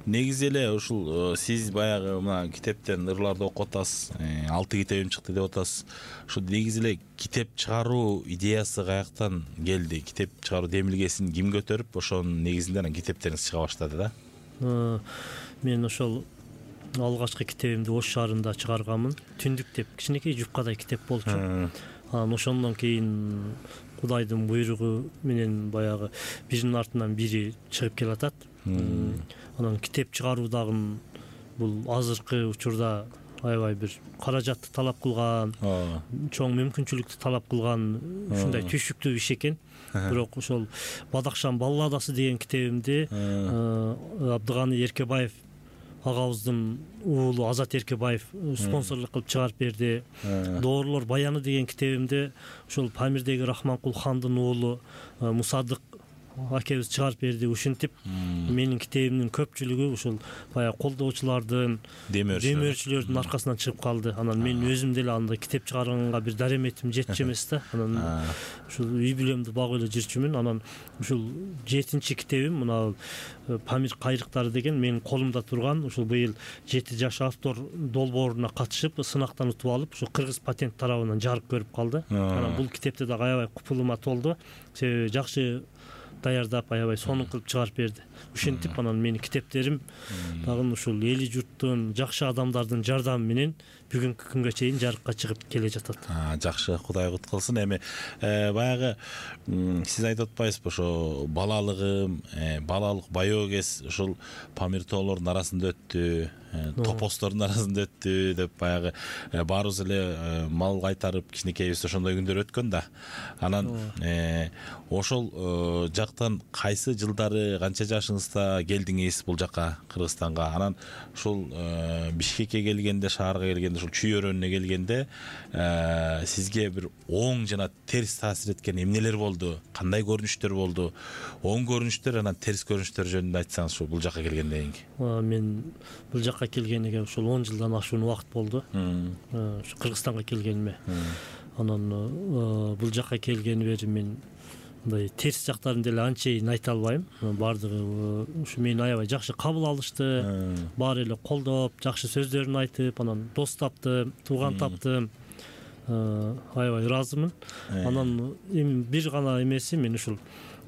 Негизи эле ушул сиз баягы мына китептен ырларды окуп атасыз, алты китебим чыкты деп атасыз. Ушул негизи эле китеп чыгаруу идеясы каяктан келди? Китеп чыгаруу демилгесин ким көтөрүп, ошонун негизинде анан китептериңиз чыга баштады да? Мен ошол алгачкы китебимди Ош шаарында чыгарганмын. Түндүк деп кичинекей жупкадай китеп болчу. Анан ошондон кийин Кудайдын буйругу менен баягы биринин артынан бири чыгып келатат. Анан китеп чыгаруу дагы бул азыркы учурда аябай бир каражатты талап кылган, чоң мүмкүнчүлүктү талап кылган ушундай түйшүктүү иш экен. Бирок ошол Бадакшан балладасы деген китебимди Абдыганы Эркебаев агабыздын уулу Азат Эркебаев спонсорлук кылып чыгарып берди. Доорлор баяны деген китебимди ошол Памирдеги Рахманкул хандын уулу Мусадык акебиз чыгарып берди. Ушинтип менин китебимдин көпчүлүгү ушул баягы колдоочулардын, демөөрчүлөрдүн аркасынан чыгып калды. Анан мен өзүм деле анда китеп чыгарганга бир дареметим жетчү эмес да. Анан ушул үй бүлөмдү багып эле жүрчүмүн. Анан ушул жетинчи китебим мына Памир кайрыктары деген менин колумда турган, ушул быйыл жети жаш автор долбооруна катышып, сынактан утуп алып, ушул Кыргыз патент тарабынан жарык көрүп калды. Анан бул китепте дагы аябай купулума толду. Себеби жакшы даярдап, аябай сонун кылып чыгарып берди. Ушинтип анан менин китептерим дагы ушул эли журттун, жакшы адамдардын жардамы менен бүгүнкү күнгө чейин жарыкка чыгып келе жатат. Жакшы, Кудай кут кылсын. Эми баягы сиз айтып атпайсызбы, ошо балалыгым, балалык баягы кез ушул Памир тоолордун арасында өттү, топостордун арасында өттү деп баягы баарыбыз эле мал кайтарып кичинекейбиз ошондой күндөр өткөн да. Анан ошол жактан кайсы жылдары, канча жашыңызда келдиңиз бул жака, Кыргызстанга? Анан ушул Бишкекке келгенде, шаарга келгенде, ушул чүй өрөөнүнө келгенде сизге бир оң жана терс таасир эткен эмнелер болду? Кандай көрүнүштөр болду? Оң көрүнүштөр, анан терс көрүнүштөр жөнүндө айтсаңыз ушул бул жака келгенден кийин. Мен бул жака келгениге ушул он жылдан ашуун убакыт болду. Ушу Кыргызстанга келгениме. Анан бул жака келгени бери мен мындай терс жактарын деле анчейин айта албайм. Баардыгы ушу мени аябай жакшы кабыл алышты. Баары эле колдоп, жакшы сөздөрүн айтып, анан дос таптым, тууган таптым. Аябай ыраазымын. Анан эми бир гана эмеси, мен ушул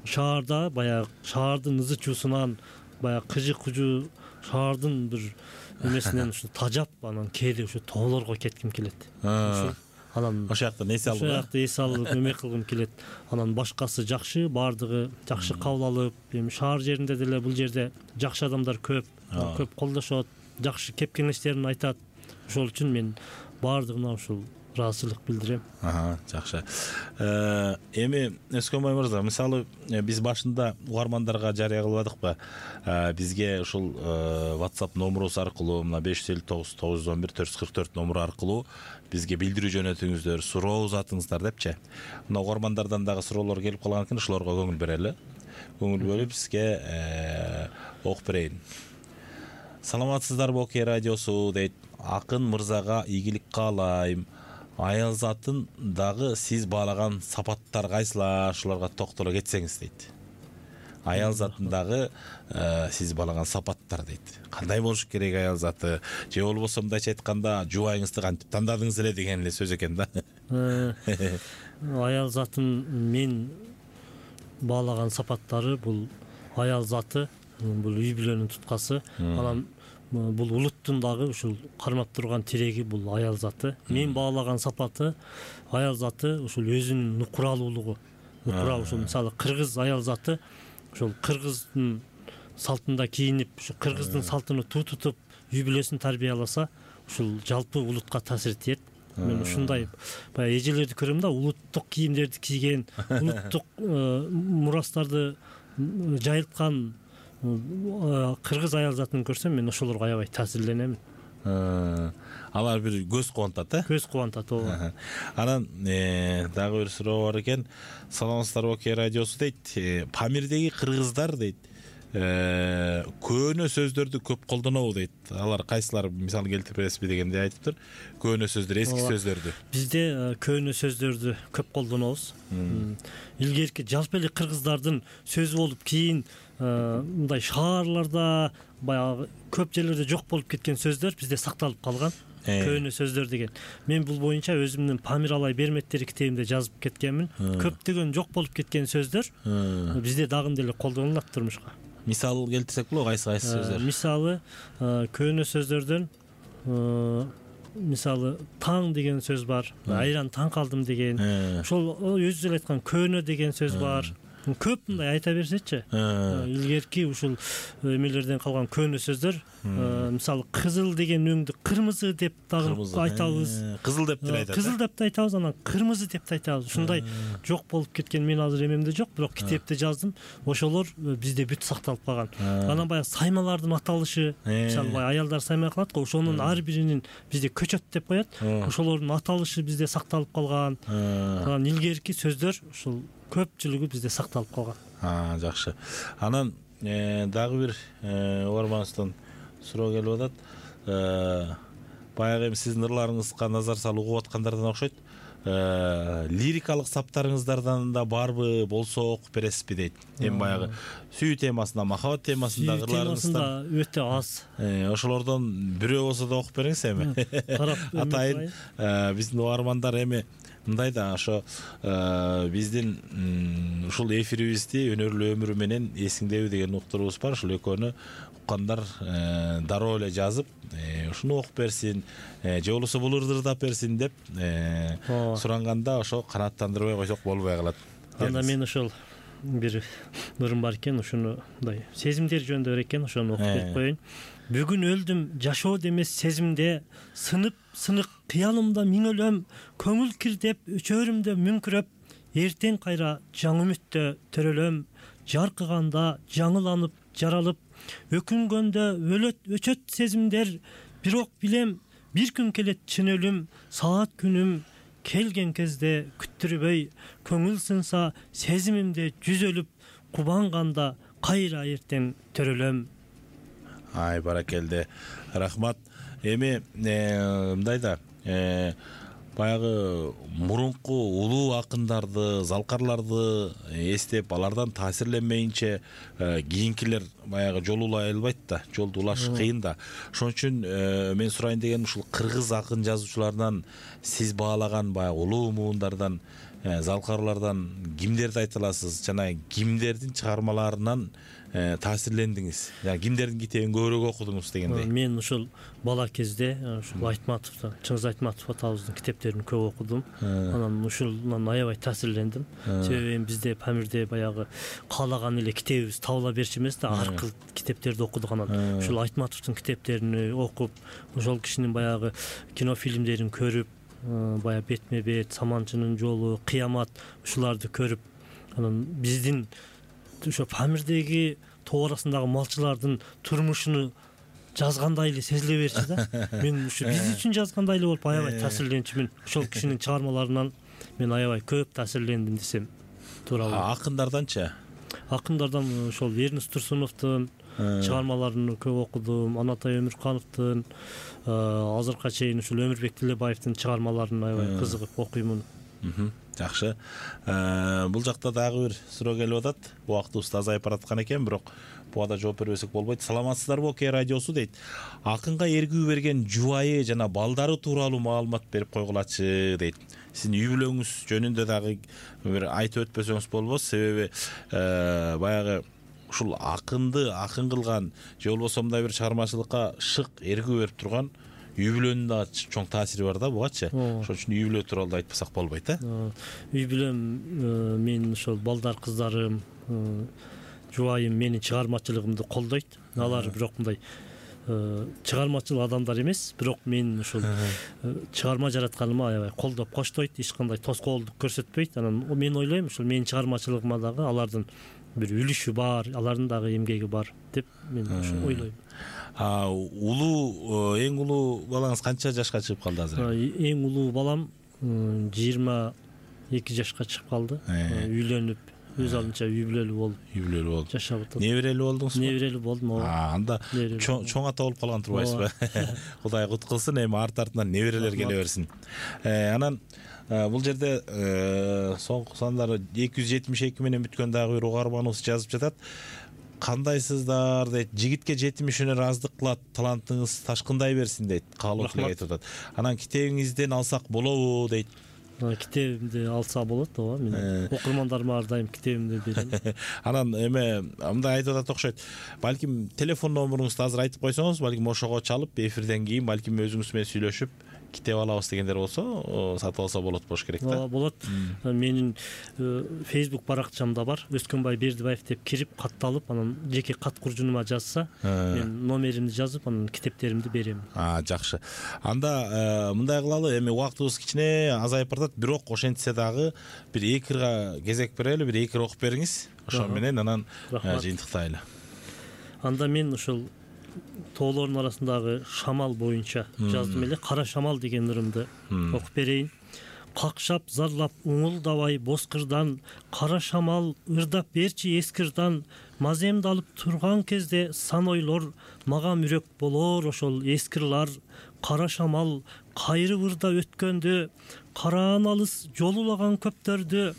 шаарда баягы шаардын ызы чуусунан, баягы кыжы-кужу шаардын бир эмесинен ушу тажап, анан кээде ушу тоолорго кетким келет. Анан ошол жакта эс алып, ошол жакта эс алып эмек кылгым келет. Анан башкасы жакшы, баардыгы жакшы кабыл алып, эми шаар жеринде деле бул жерде жакшы адамдар көп, көп колдошот, жакшы кеп кеңештерин айтат. Ошол үчүн мен баардыгына ушул ыраазычылык билдирем. Жакшы. Эми Өскөнбай мырза, мисалы биз башында угармандарга жарыя кылбадыкпы? Бизге ушул WhatsApp номурубуз аркылуу, мына беш жүз элүү тогуз тогуз жүз он бир төрт жүз кырк төрт номуру аркылуу бизге билдирүү жөнөтүңүздөр, суроо узатыңыздар депчи. Мына угармандардан дагы суроолор келип калган экен, ошолорго көңүл берели. Көңүл бөлүп сизге окуп берейин. Саламатсыздарбы, Оке радиосу дейт. Акын мырзага ийгилик каалайм. аял затын дагы сиз баалаган сапаттар кайсылар, ушуларга токтоло кетсеңиз дейт. Аял затындагы сиз баалаган сапаттар дейт. Кандай болуш керек аял заты? Же болбосо мындайча айтканда, жубайыңызды кантип тандадыңыз эле деген эле сөз экен да. Аял затын мен баалаган сапаттары бул аял заты, бул үй бүлөнүн туткасы. Анан бул улуттун дагы ушул кармап турган тиреги бул аял заты. Мен баалаган сапаты аял заты ушул өзүнүн нукуралуулугу. Нукура ушул мисалы кыргыз аял заты ошол кыргыздын салтында кийинип, ушу кыргыздын салтын туу тутуп, үй бүлөсүн тарбияласа, ушул жалпы улутка таасир этет. Мен ушундай баягы эжелерди көрөм да, улуттук кийимдерди кийген, улуттук мурастарды жайылткан кыргыз аял затын көрсөм, мен ошолорго аябай таасирленем. Алар бир көз кубантат, э? Көз кубантат, ооба. Анан дагы бир суроо бар экен. Саламатсыздарбы, Оке радиосу дейт. Памирдеги кыргыздар дейт, көөнө сөздөрдү көп колдонобу дейт. Алар кайсылар, мисалы келтирип бересизби дегенде айтыптыр. Көөнө сөздөр, эски сөздөрдү. Бизде көөнө сөздөрдү көп колдонобуз. Илгерки жалпы эле кыргыздардын сөзү болуп, кийин мындай шаарларда, баягы көп жерлерде жок болуп кеткен сөздөр бизде сакталып калган. Көөнө сөздөр деген. Мен бул боюнча өзүмдүн Памир алай берметтери китебимде жазып кеткенмин. Көптөгөн жок болуп кеткен сөздөр бизде дагы деле колдонулат турмушка. Мисал келтирсек болобу, кайсы кайсы сөздөр? Мисалы, көөнө сөздөрдөн мисалы таң деген сөз бар, айран таң калдым деген. Ошол өзү эле айткан көөнө деген сөз бар. Көп мындай айта берсечи. Илгерки ушул эмелерден калган көөнө сөздөр, мисалы кызыл деген өңдү кырмызы деп дагы айтабыз. Кызыл деп да айтабыз. Кызыл деп да айтабыз, анан кырмызы деп да айтабыз. Ушундай жок болуп кеткен мен азыр эмемде жок, бирок китепте жаздым. Ошолор бизде бүт сакталып калган. Анан баягы саймалардын аталышы, мисалы баягы аялдар саймай кылат го, ошонун ар биринин бизде көчөт деп коет. Ошолордун аталышы бизде сакталып калган. Анан илгерки сөздөр ушул көпчүлүгү бизде сакталып калган. А, жакшы. Анан дагы бир угарманыбыздан суроо келип атат. Баягы эми сиздин ырларыңызга назар салып угуп аткандардан окшойт. Лирикалык саптарыңыздардан да барбы, болсо окуп бересизби дейт. Эми баягы сүйүү темасында, махабат темасында ырларыңыздан өтө аз. Ошолордон бирөө болсо да окуп бериңиз эми. Атайын биздин угармандар эми мындай да, ошо биздин ушул эфирибизди өнөрлүү өмүрү менен эсиңдеби деген уктурубуз бар. Ушул экөөнү уккандар дароо эле жазып, ушуну окуп берсин, же болбосо бул ырды ырдап берсин деп суранганда ошо канааттандырбай койсок болбой калат. Анда мен ошол бир ырым бар экен, ушуну мындай сезимдер жөнүндө бар экен, ошону окуп берип коеюн. Бүгүн өлдүм жашоо демес сезимде, сынып сынык кыялымда миң өлөм, көңүл кирдеп өчөрүмдө мүңкүрөп, эртең кайра жаңы үмүттө төрөлөм, жаркыганда жаңыланып жаралып, өкүнгөндө өлөт өчөт сезимдер, бирок билем бир күн келет чын өлүм, саат күнүм келген кезде күттүрбөй, көңүл сынса сезимимде жүзөлүп, кубанганда кайра эртең төрөлөм. Ай, баракелде. Рахмат. Эми мындай да, баягы мурунку улуу акындарды, залкарларды эстеп, алардан таасирленмейинче кийинкилер баягы жол улай албайт да, жолду улаш кыйын да. Ошон үчүн мен сурайын дегеним, ушул кыргыз акын жазуучуларынан сиз баалаган баягы улуу муундардан, залкарлардан кимдерди айта аласыз жана кимдердин чыгармаларынан таасирлендиңиз? Жана кимдердин китебин көбүрөөк окудуңуз дегендей. Мен ушул бала кезде ушул Айтматовдун, Чыңгыз Айтматов атабыздын китептерин көп окудум. Анан ушулдан аябай таасирлендим. Себеби бизде Памирде баягы каалаган эле китебибиз табыла берчү эмес да, аркы китептерди окудук. Анан ушул Айтматовдун китептерин окуп, ошол кишинин баягы кинофильмдерин көрүп, баягы Бетме бет, Саманчынын жолу, Кыямат, ушуларды көрүп, анан биздин ошо Памирдеги тоо арасындагы малчылардын турмушуну жазгандай эле сезиле берчү да. Мен ушу биз үчүн жазгандай эле болуп аябай таасирленчүмүн. Ошол кишинин чыгармаларынан мен аябай көп таасирлендим десем туура болот. Акындарданчы? Акындардан ошол Эрнест Турсуновдун, чыгармаларын көп окудум. Анатай Өмүркановдун азыркыга чейин ушул Өмүрбек Тилебаевдин чыгармаларын аябай кызыгып окуймун. Жакшы. Бул жакта дагы бир суроо келип атат. Убактыбыз да азайып бараткан экен, бирок буга да жооп бербесек болбойт. Саламатсыздарбы Окей радиосу дейт. Акынга эргүү берген жубайы жана балдары тууралуу маалымат берип койгулачы дейт. Сиздин үй бүлөңүз жөнүндө дагы бир айтып өтпөсөңүз болбос, себеби баягы ушул акынды акын кылган же болбосо мындай бир чыгармачылыкка шык эргүү берип турган үй бүлөнүн да чоң таасири бар да бугачы. Ошон үчүн үй бүлө тууралуу да айтпасак болбойт, э? Үй бүлөм, менин ошол балдар кыздарым, жубайым менин чыгармачылыгымды колдойт. Алар бирок мындай чыгармачыл адамдар эмес, бирок мен ушул чыгарма жаратканыма аябай колдоп коштойт, эч кандай тоскоолдук көрсөтпөйт. Анан мен ойлойм, ушул менин чыгармачылыгыма дагы алардын бир үлүшү бар, алардын дагы эмгеги бар деп мен ошо ойлойм. Улуу, эң улуу балаңыз канча жашка чыгып калды азыр? Эң улуу балам жыйырма эки жашка чыгып калды. Үйлөнүп, өз алдынча үй бүлөлүү болуп, үй бүлөлүү болуп жашап атат. Неберелүү болдуңузбу? Неберелүү болдум. Анда чоң ата болуп калган турбайсызбы? Кудай кут кылсын, эми арт артынан неберелер келе берсин. Анан бул жерде соңку сандары эки жүз жетимиш эки менен бүткөн дагы бир угарманыбыз жазып жатат. Кандайсыздар дейт, жигитке жетимишине ыраазык кылат, талантыңыз ташкындай берсин дейт. Каалоо тилек айтып атат. Анан китебиңизден алсак болобу дейт. Китебимди алса болот, ооба. Мен окурмандарыма ар дайым китебимди берем. Анан эме мындай айтып атат окшойт. Балким телефон номуруңузду азыр айтып койсоңуз, балким ошого чалып эфирден кийин балким өзүңүз менен сүйлөшүп китеп алабыз дегендер болсо, сатып алса болот болуш керек да. Ооба, болот. Менин Facebook баракчамда бар. Өскөнбай Бердибаев деп кирип, катталып, анан жеке кат куржунума жазса, мен номеримди жазып, анан китептеримди берем. А, жакшы. Анда мындай кылалы, эми убактыбыз кичине азайып барат, бирок ошентсе дагы бир экирга кезек берели, бир экир окуп бериңиз. Ошо менен анан жыйынтыктайлы. Анда мен ушул тоолордун арасындагы шамал боюнча жаздым эле. Кара шамал деген ырымды окуп берейин. Какшап зарлап уңулдабай боскырдан, кара шамал ырдап берчи эскирдан, маземди алып турган кезде сан ойлор, мага мүрөк болор ошол эскирлар. Кара шамал кайрып ырдап өткөндө, караан алыс жолулаган көптөрдү,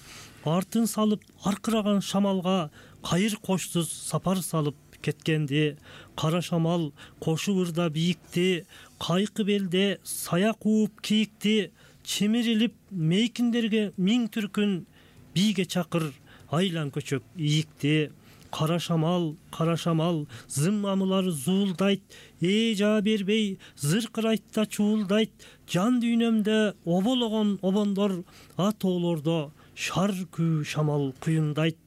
артын салып аркыраган шамалга кайыр кошсуз сапар салып кеткенди. Кара шамал кошуп ырдап ийикти, кайкы белде сая кууп кийикти, чимирилип мейкиндерге миң түркүн, бийге чакыр айлан көчөк ийикти. Кара шамал, кара шамал, зыммамылар зуулдайт, ээ жаа бербей зыркырайт да чуулдайт, жан дүйнөмдө обологон обондор, атоолордо шар күү шамал куюндайт.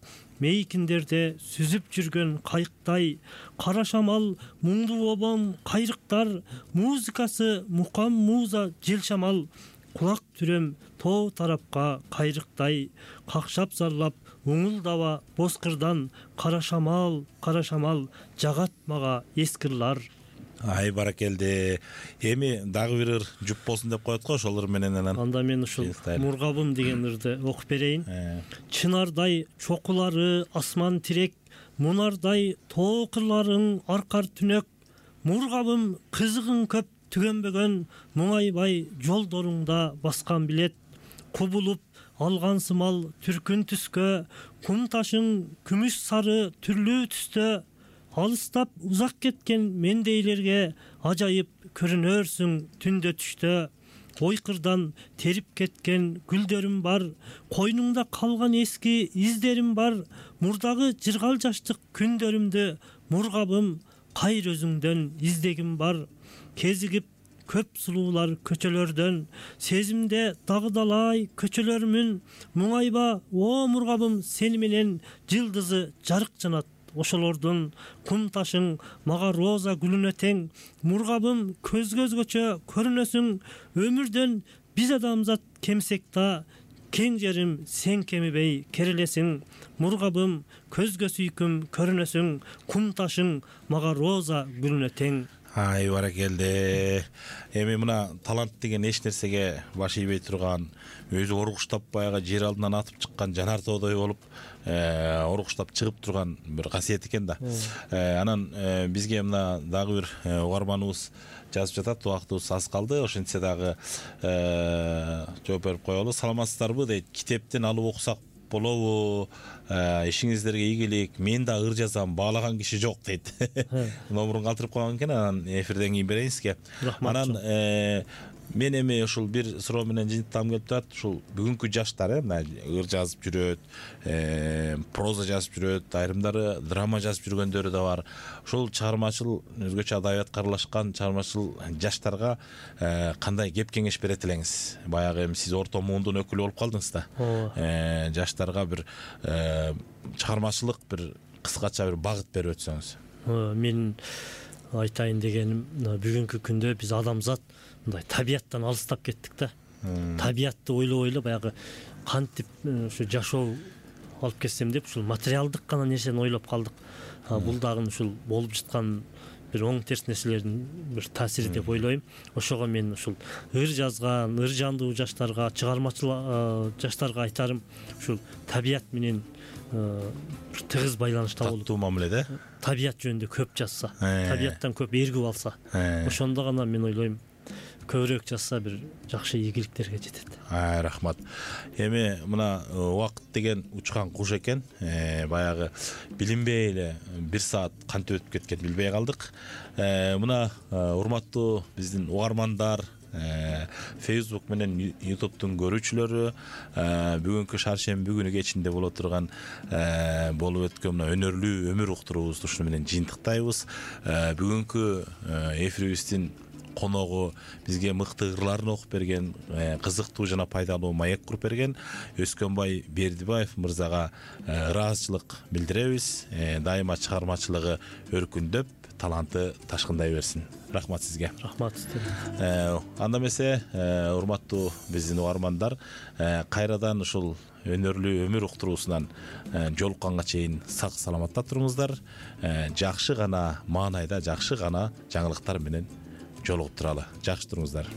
Мейкиндерде сүзүп жүргөн кайыктай, кара шамал муңдуу обон кайрыктар, музыкасы мукам муза жел шамал, кулак түрөм тоо тарапка кайрыктай. Какшап зарлап уңулдаба боскырдан, кара шамал, кара шамал жагат мага эскирлар. Ай баракелди. Эми дагы бир ыр жуп болсун деп коет го, ошол ыр менен анан. Анда мен ушул Мургабым деген ырды окуп берейин. Чынардай чокулары асман тирек, мунардай тоо кырларың аркар түнөк. Мургабым кызыгың көп түгөнбөгөн, муңайбай жолдоруңда баскан билет. Кубулуп алган сымал түркүн түскө, кум ташың күмүш сары түрлүү түстө. Алыстап узак кеткен мендейлерге ажайып көрүнөрсүң түндө түштө. Ойкырдан терип кеткен гүлдөрүм бар, койнуңда калган эски издерим бар. Мурдагы жыргал жаштык күндөрүмдү, Мургабым кайыр өзүңдөн издегим бар. Кезигип көп сулуулар көчөлөрдөн, сезимде дагыдалай көчөлөрмүн. Муңайба о Мургабым, сени менен жылдызы жарык жанат ошолордун. Кум ташың мага роза гүлүнө тең, Мургабым көз көзгөчө көрүнөсүң. Өмүрдөн биз адамзат кемсек да, кең жерим сен кемибей керелесиң. Мургабым көзгө сүйкүм көрүнөсүң, кум ташың мага роза гүлүнө тең. Ай баракелде. Эми мына талант деген эч нерсеге баш ийбей турган, өзү оргуштап баягы жер алдынан атып чыккан жанар тоодой болуп, оргуштап чыгып турган бир касиет экен да. Анан бизге мына дагы бир угарманыбыз жазып жатат, убактыбыз аз калды. Ошентсе дагы жооп берип коелу. Саламатсыздарбы дейт. Китептен алып окусак болобу? Ишиңиздерге ийгилик. Мен да ыр жазам, баалаган киши жок дейт. Номурун калтырып койгон экен, анан эфирден кийин берейин сизге. Анан мен эми ушул бир суроо менен жыйынтыктагым келип турат. Ушул бүгүнкү жаштар мына ыр жазып жүрөт, проза жазып жүрөт, айрымдары драма жазып жүргөндөрү да бар. Ушул чыгармачыл, өзгөчө адабиятка аралашкан чыгармачыл жаштарга кандай кеп кеңеш берет элеңиз? Баягы эми сиз орто муундун өкүлү болуп калдыңыз да. Жаштарга бир чыгармачылык бир кыскача бир багыт берип өтсөңүз. Мен айтайын дегеним, бүгүнкү күндө биз адамзат мындай табияттан алыстап кеттик да. Табиятты ойлой ойлой баягы кантип ушу жашоо алып кетсем деп ушул материалдык гана нерсени ойлоп калдык. Бул дагы ушул болуп жаткан бир оң терс нерселердин бир таасири деп ойлойм. Ошого мен ушул ыр жазган, ыр жандуу жаштарга, чыгармачыл жаштарга айтарым, ушул табият менен бир тыгыз байланышта болуп, таттуу мамиледе табият жөнүндө көп жазса, табияттан көп эргип алса, ошондо гана мен ойлойм көбүрөөк жазса бир жакшы ийгиликтерге жетет. Рахмат. Эми мына убакыт деген учкан куш экен. Баягы билинбей эле бир саат кантип өтүп кеткенин билбей калдык. Мына урматтуу биздин угармандар, Facebook менен YouTube'тун көрүүчүлөрү, бүгүнкү шаршемби күнү кечинде боло турган болуп өткөн мына өнөрлүү өмүр уктуруубузду ушуну менен жыйынтыктайбыз. Бүгүнкү эфирибиздин коногу бизге мыкты ырларын окуп берген, кызыктуу жана пайдалуу маек куруп берген Өскөнбай Бердибаев мырзага ыраазычылык билдиребиз. Дайыма чыгармачылыгы өркүндөп, таланты ташкындай берсин. Рахмат сизге. Рахмат. Анда эмесе, урматтуу биздин угармандар, кайрадан ушул өнөрлүү өмүр уктуруусунан жолукканга чейин сак саламатта туруңуздар. Жакшы гана маанайда, жакшы гана жаңылыктар менен жолугуп туралы. Жакшы туруңуздар.